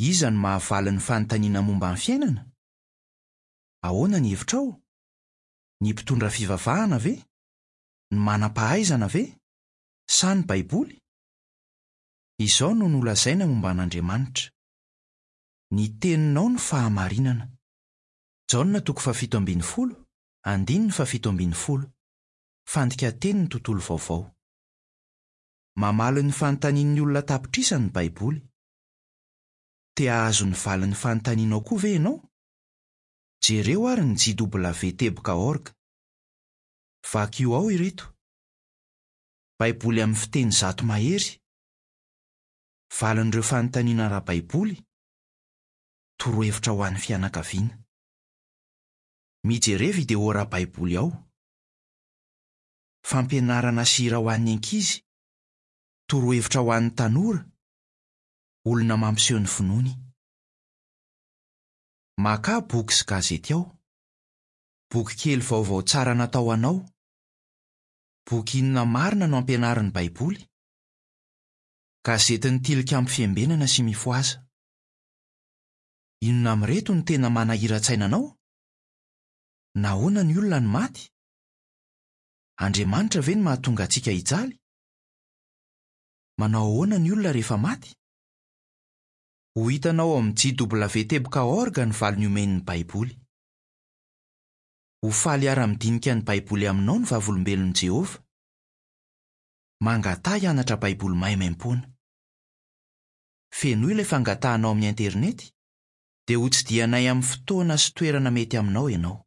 Iza no mahavaly ny fanontaniana momba ny fiainana? Ahoana ny hevitrao? Ny mpitondra fivavahana ve? Ny manam-pahaizana ve? Sa ny Baiboly? Izao no nolazaina momba an'Andriamanitra, Ny teninao no fahamarinana. Jaona toko fahafito ambin'ny folo, andininy fahafito ambin'ny folo. Fandikan-tenin'ny Tontolo Vaovao. Mamaly ny fanontanian'ny olona an-tapitrisany ny Baiboly. Te hahazo ny valin'ny fanontanianao koa ve ianao? Jereo àry ny JW teboka org. Vakio ao ireto. Baiboly amin'ny fiteny 100 mahery. Valin'ireo fanontaniana ara-baiboly. Torohevitra ho an'ny fianakaviana. Mijere video ara-baiboly ao. Fampianarana sy hira ho an'ny ankizy. Torohevitra ho an'ny tanora. Olona mampiseho ny finoany. Makà boky sy gazety ao. Bokikely vaovao tsara natao ho anao. Boky inona marina no ampianarin'ny Baiboly? Gazetin'ny Tilikambo Fiambenana sy Mifohaza! Inona amin'ireto no tena manahiran-tsaina anao? Nahoana ny olona no maty? Andriamanitra ve no mahatonga antsika hijaly? Manao ahoana ny olona rehefa maty? Ho hitanao ao amin'ny JW teboka org ny valiny omen'ny Baiboly. Ho faly hiara-midinika ny Baiboly aminao ny Vavolombelon'i Jehovah. Mangataha hianatra Baiboly maimaimpoana. Fenoy ilay fangatahana ao amin'ny Internet, dia hotsidihanay amin'ny fotoana sy toerana mety aminao ianao.